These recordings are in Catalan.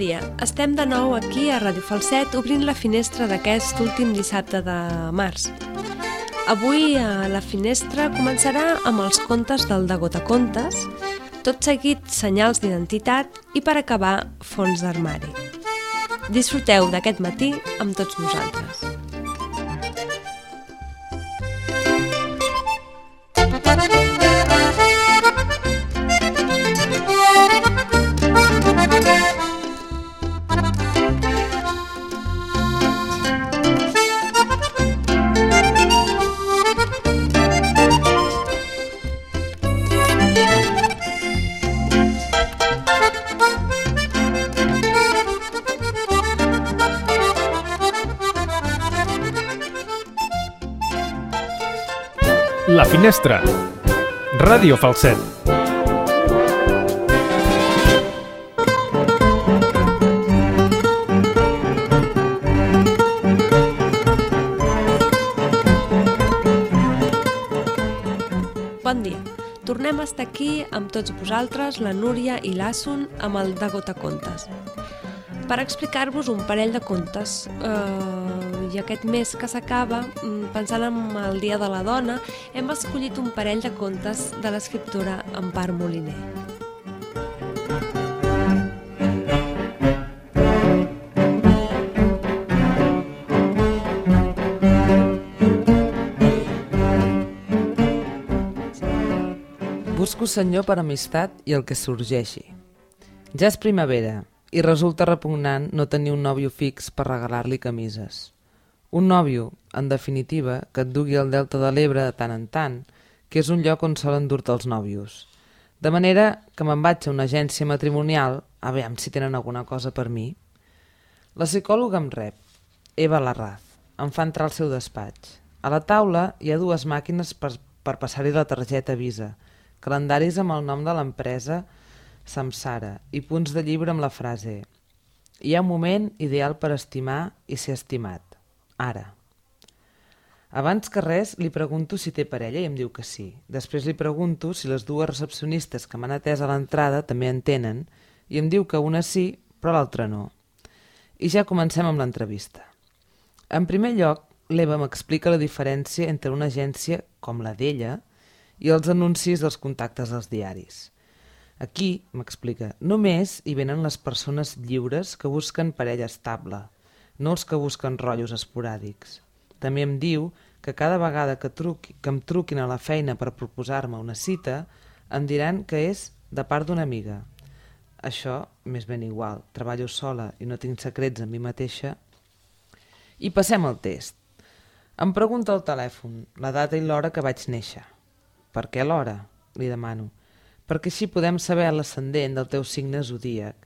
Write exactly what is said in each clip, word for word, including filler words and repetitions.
dia, estem de nou aquí a Ràdio Falset obrint la finestra d'aquest últim dissabte de març. Avui a la finestra començarà amb els contes del De Gotacontes, tot seguit senyals d'identitat i per acabar fons d'armari. Disfruteu d'aquest matí amb tots nosaltres. La Finestra, Ràdio Falset. Bon dia. Tornem a estar aquí amb tots vosaltres, la Núria i l'Asun, amb el De Gotacontes. Per explicar-vos un parell de contes, eh, i aquest mes que s'acaba, pensant en el Dia de la Dona, hem escollit un parell de contes de l'escriptora Empar Moliner. Busco senyor per amistat i el que sorgeixi. Ja és primavera i resulta repugnant no tenir un nòvio fix per regalar-li camises. Un nòvio, en definitiva, que et dugui al Delta de l'Ebre de tant en tant, que és un lloc on solen dur-te els nòvios. De manera que me'n vaig a una agència matrimonial a veure si tenen alguna cosa per mi. La psicòloga em rep, Eva Larraz, em fa entrar al seu despatx. A la taula hi ha dues màquines per, per passar-hi la targeta Visa, calendaris amb el nom de l'empresa Samsara i punts de llibre amb la frase «Hi ha un moment ideal per estimar i ser estimat. Ara». Abans que res li pregunto si té parella i em diu que sí. Després li pregunto si les dues recepcionistes que m'han atès a l'entrada també en tenen i em diu que una sí però l'altra no. I ja comencem amb l'entrevista. En primer lloc, l'Eva m'explica la diferència entre una agència com la d'ella i els anuncis dels contactes dels diaris. Aquí, m'explica, només hi venen les persones lliures que busquen parella estable, no els que busquen rotllos esporàdics. També em diu que cada vegada que, truqui, que em truquin a la feina per proposar-me una cita, em diran que és de part d'una amiga. Això m'és ben igual, treballo sola i no tinc secrets amb mi mateixa. I passem al test. Em pregunta al telèfon la data i l'hora que vaig néixer. Per què l'hora? Li demano. Perquè així podem saber l'ascendent del teu signe zodíac.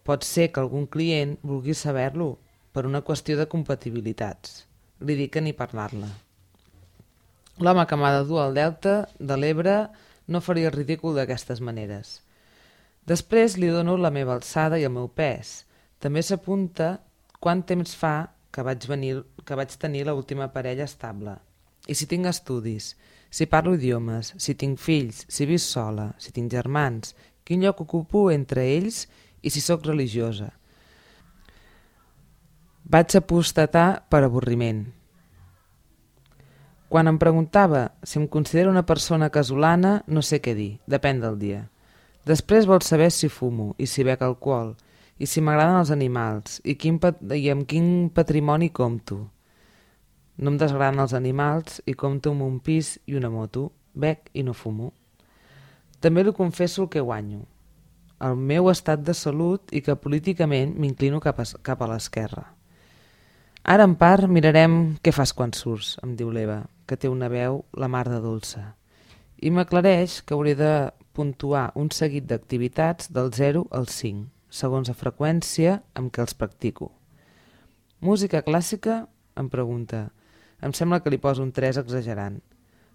Pot ser que algun client vulgui saber-lo per una qüestió de compatibilitats. Li dic que ni parlar-la. L'home que m'ha de dur al Delta de l'Ebre no faria el ridícul d'aquestes maneres. Després li dono la meva alçada i el meu pes. També s'apunta quant temps fa que vaig, venir, que vaig tenir l'última parella estable. I si tinc estudis, si parlo idiomes, si tinc fills, si visc sola, si tinc germans, quin lloc ocupo entre ells i si sóc religiosa. Vaig apostatar per avorriment. Quan em preguntava si em considero una persona casolana, no sé què dir, depèn del dia. Després vol saber si fumo i si bec alcohol, i si m'agraden els animals, i, quin i amb quin patrimoni compto. No em desagraden els animals i compto amb un pis i una moto, bec i no fumo. També li confesso el que guanyo, el meu estat de salut i que políticament m'inclino cap a, cap a l'esquerra. Ara en part mirarem què fas quan surts, em diu l'Eva, que té una veu la mar de dolça. I m'aclareix que hauré de puntuar un seguit d'activitats del zero al cinc, segons la freqüència amb què els practico. Música clàssica? Em pregunta. Em sembla que li poso un tres exagerant.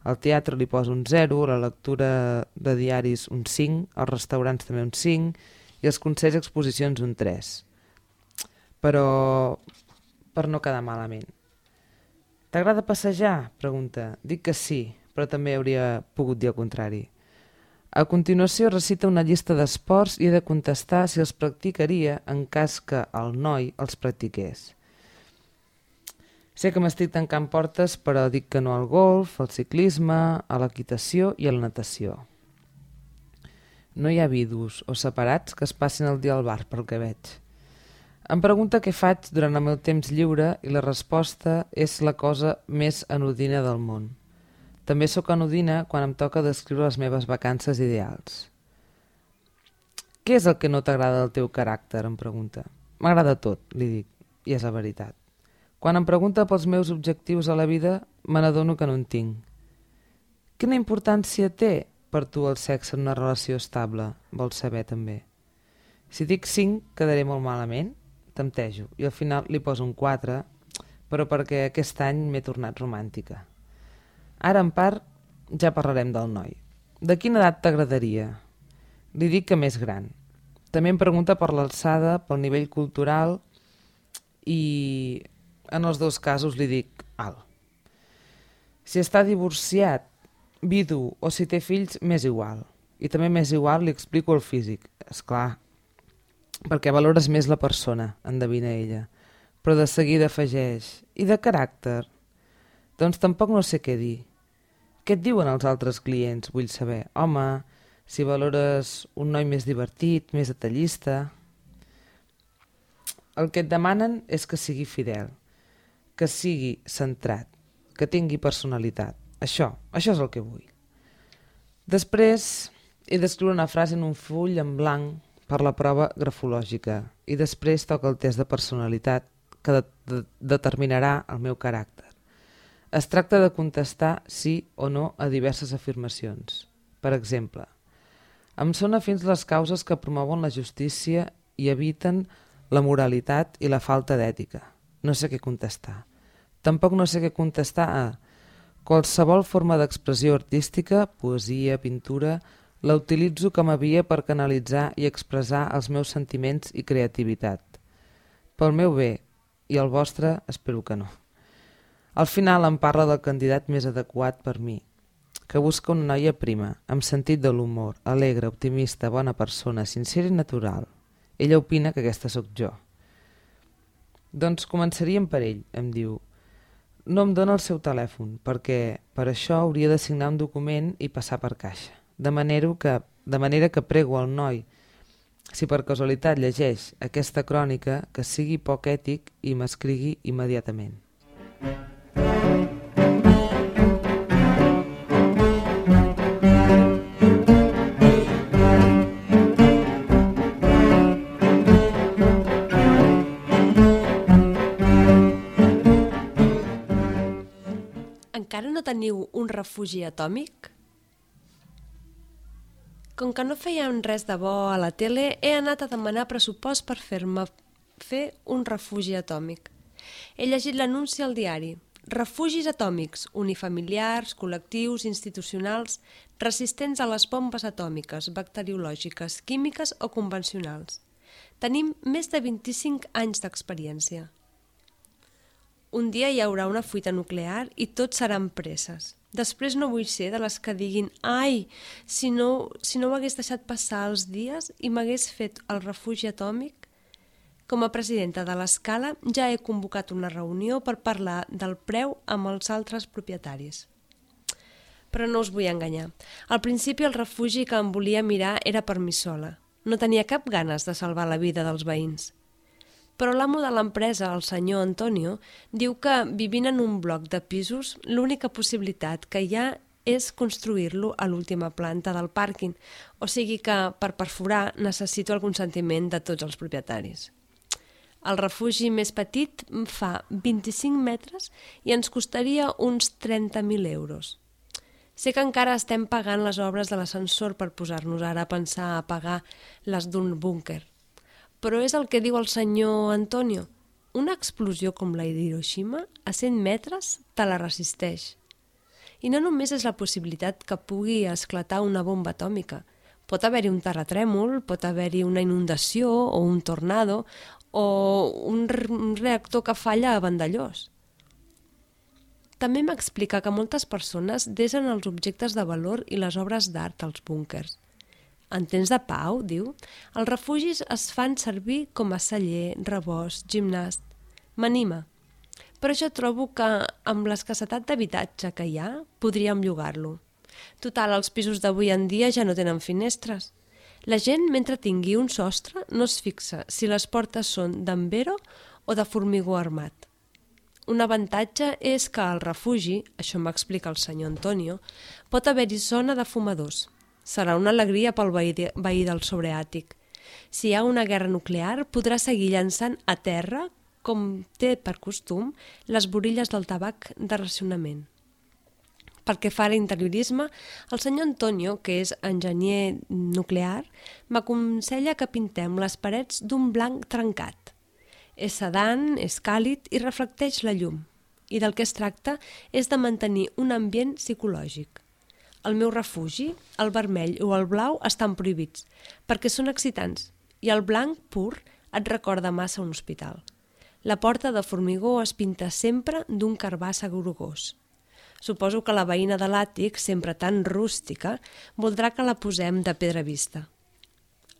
Al teatre li poso un zero, a la lectura de diaris un cinc, als restaurants també un cinc i als concerts i exposicions un tres. Però per no quedar malament. T'agrada passejar? Pregunta. Dic que sí, però també hauria pogut dir el contrari. A continuació recita una llista d'esports i he de contestar si els practicaria en cas que el noi els practiqués. Sé que m'estic tancant portes, però dic que no al golf, al ciclisme, a l'equitació i a la natació. No hi ha vidus o separats que es passin el dia al bar, pel que veig. Em pregunta què faig durant el meu temps lliure i la resposta és la cosa més anodina del món. També sóc anodina quan em toca descriure les meves vacances ideals. Què és el que no t'agrada del teu caràcter? Em pregunta. M'agrada tot, li dic, i és la veritat. Quan em pregunta pels meus objectius a la vida, me n'adono que no en tinc. Quina importància té per tu el sexe en una relació estable? Vols saber també. Si dic cinc, quedaré molt malament, temptejo, i al final li poso un quatre, però perquè aquest any m'he tornat romàntica. Ara, en part, ja parlarem del noi. De quina edat t'agradaria? Li dic que més gran. També em pregunta per l'alçada, pel nivell cultural i en els dos casos li dic alt. Si està divorciat, vidu o si té fills, m'és igual. I també m'és igual li explico el físic. És clar, perquè valores més la persona, endevina ella. Però de seguida afegeix. I de caràcter? Doncs tampoc no sé què dir. Què et diuen els altres clients? Vull saber. Home, si valores un noi més divertit, més detallista. El que et demanen és que sigui fidel, que sigui centrat, que tingui personalitat. Això, això és el que vull. Després he d'escriure una frase en un full en blanc per la prova grafològica i després toca el test de personalitat que de de determinarà el meu caràcter. Es tracta de contestar sí o no a diverses afirmacions. Per exemple, em són afins les causes que promouen la justícia i eviten la moralitat i la falta d'ètica. No sé què contestar. Tampoc no sé què contestar a qualsevol forma d'expressió artística, poesia, pintura, la utilitzo com a via per canalitzar i expressar els meus sentiments i creativitat. Pel meu bé, i el vostre espero que no. Al final em parla del candidat més adequat per mi, que busca una noia prima, amb sentit de l'humor, alegre, optimista, bona persona, sincera i natural. Ella opina que aquesta sóc jo. Doncs començaríem per ell, em diu. No em dóna el seu telèfon, perquè per això hauria de signar un document i passar per caixa. De manera que, de manera que prego al noi, si per casualitat llegeix aquesta crònica, que sigui poc ètic i m'escrigui immediatament. Encara no teniu un refugi atòmic? Com que no feien res de bo a la tele, he anat a demanar pressupost per fer-me fer un refugi atòmic. He llegit l'anunci al diari. Refugis atòmics, unifamiliars, col·lectius, institucionals, resistents a les bombes atòmiques, bacteriològiques, químiques o convencionals. Tenim més de vint-i-cinc anys d'experiència. Un dia hi haurà una fuita nuclear i tots seran presses. Després no vull ser de les que diguin «Ai, si no, si no m'hagués deixat passar els dies i m'hagués fet el refugi atòmic». Com a presidenta de l'Escala ja he convocat una reunió per parlar del preu amb els altres propietaris. Però no us vull enganyar. Al principi el refugi que em volia mirar era per mi sola. No tenia cap ganes de salvar la vida dels veïns. Però l'amo de l'empresa, el senyor Antonio, diu que vivint en un bloc de pisos l'única possibilitat que hi ha és construir-lo a l'última planta del pàrquing, o sigui que per perforar necessito el consentiment de tots els propietaris. El refugi més petit fa vint-i-cinc metres i ens costaria uns trenta mil euros. Sé que encara estem pagant les obres de l'ascensor per posar-nos ara a pensar a pagar les d'un búnquer. Però és el que diu el senyor Antonio. Una explosió com la d'Hiroshima a cent metres te la resisteix. I no només és la possibilitat que pugui esclatar una bomba atòmica. Pot haver-hi un terratrèmol, pot haver-hi una inundació o un tornado o un reactor que falla a Vandellós. També m'explica que moltes persones desen els objectes de valor i les obres d'art als búnquers. En temps de pau, diu, els refugis es fan servir com a celler, rebost, gimnàs. M'anima. Però jo trobo que, amb l'escassetat d'habitatge que hi ha, podríem llogar-lo. Total, els pisos d'avui en dia ja no tenen finestres. La gent, mentre tingui un sostre, no es fixa si les portes són d'envero o de formigó armat. Un avantatge és que al refugi, això m'explica el senyor Antonio, pot haver-hi zona de fumadors. Serà una alegria pel veí, de, veí del sobreàtic. Si hi ha una guerra nuclear, podrà seguir llançant a terra, com té per costum, les borilles del tabac de racionament. Pel que fa a l'interiorisme, el senyor Antonio, que és enginyer nuclear, m'aconsella que pintem les parets d'un blanc trencat. És sedant, és càlid i reflecteix la llum. I del que es tracta és de mantenir un ambient psicològic. El meu refugi, el vermell o el blau estan prohibits, perquè són excitants, i el blanc pur et recorda massa un hospital. La porta de formigó es pinta sempre d'un carbassa grogós. Suposo que la veïna de l'àtic, sempre tan rústica, voldrà que la posem de pedra vista.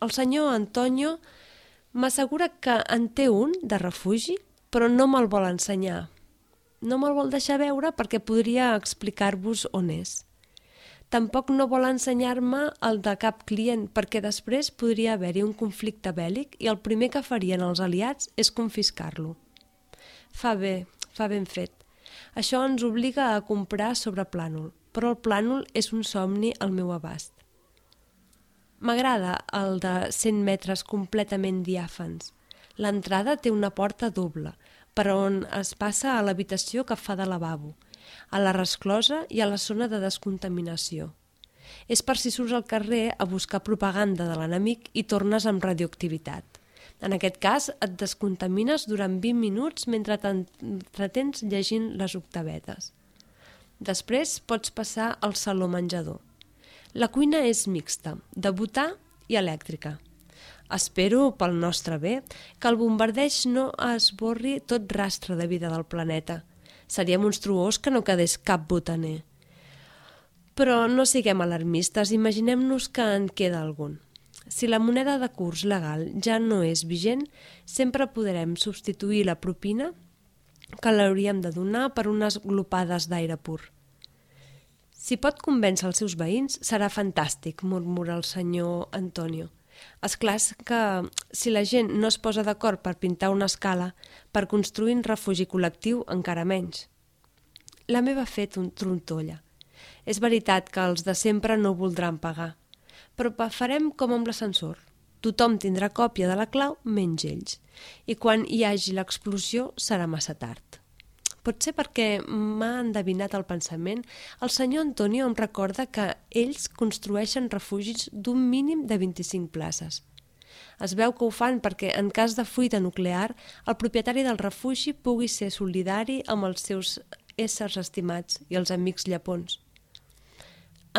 El senyor Antonio m'assegura que en té un de refugi, però no me'l vol ensenyar. No me'l vol deixar veure perquè podria explicar-vos on és. Tampoc no vol ensenyar-me el de cap client perquè després podria haver-hi un conflicte bèl·lic i el primer que farien els aliats és confiscar-lo. Fa bé, fa ben fet. Això ens obliga a comprar sobre plànol, però el plànol és un somni al meu abast. M'agrada el de cent metres completament diàfans. L'entrada té una porta doble, per on es passa a l'habitació que fa de lavabo, a la resclosa i a la zona de descontaminació. És per si surts al carrer a buscar propaganda de l'enemic i tornes amb radioactivitat. En aquest cas, et descontamines durant vint minuts mentre t'entretens llegint les octavetes. Després pots passar al saló menjador. La cuina és mixta, de butà i elèctrica. Espero, pel nostre bé, que el bombardeig no esborri tot rastre de vida del planeta. Seria monstruós que no quedés cap botaner. Però no siguem alarmistes, imaginem-nos que en queda algun. Si la moneda de curs legal ja no és vigent, sempre podrem substituir la propina que l'hauríem de donar per unes glopades d'aire pur. Si pot convèncer els seus veïns, serà fantàstic, murmura el senyor Antonio. És clar que si la gent no es posa d'acord per pintar una escala, per construir un refugi col·lectiu encara menys. La meva ha fet un trontolla. És veritat que els de sempre no voldran pagar, però farem com amb l'ascensor. Tothom tindrà còpia de la clau menys ells, i quan hi hagi l'explosió serà massa tard. Potser perquè m'ha endevinat el pensament, el senyor Antonio em recorda que ells construeixen refugis d'un mínim de vint-i-cinc places. Es veu que ho fan perquè, en cas de fuita nuclear, el propietari del refugi pugui ser solidari amb els seus éssers estimats i els amics llepons.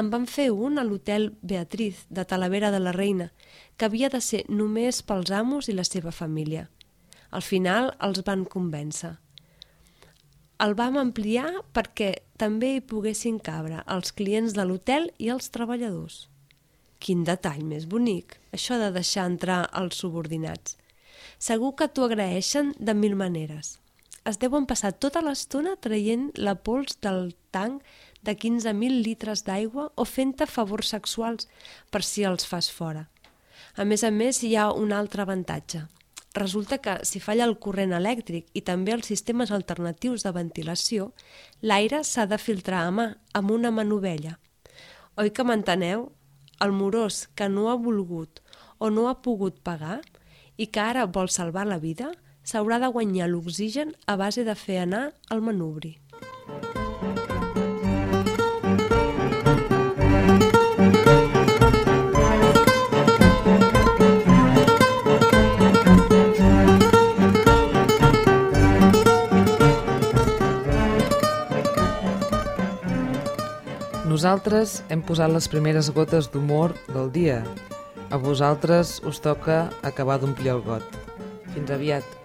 En van fer un a l'hotel Beatriz de Talavera de la Reina, que havia de ser només pels amos i la seva família. Al final els van convèncer. El vam ampliar perquè també hi poguessin cabre els clients de l'hotel i els treballadors. Quin detall més bonic, això de deixar entrar els subordinats. Segur que t'ho agraeixen de mil maneres. Es deuen passar tota l'estona traient la pols del tanc de quinze mil litres d'aigua o fent-te favors sexuals per si els fas fora. A més a més, hi ha un altre avantatge. Resulta que si falla el corrent elèctric i també els sistemes alternatius de ventilació, l'aire s'ha de filtrar a mà, amb una manovella. Oi que m'enteneu? El morós que no ha volgut o no ha pogut pagar i que ara vol salvar la vida, s'haurà de guanyar l'oxigen a base de fer anar el manubri. Nosaltres hem posat les primeres gotes d'humor del dia. A vosaltres us toca acabar d'omplir el got. Fins aviat.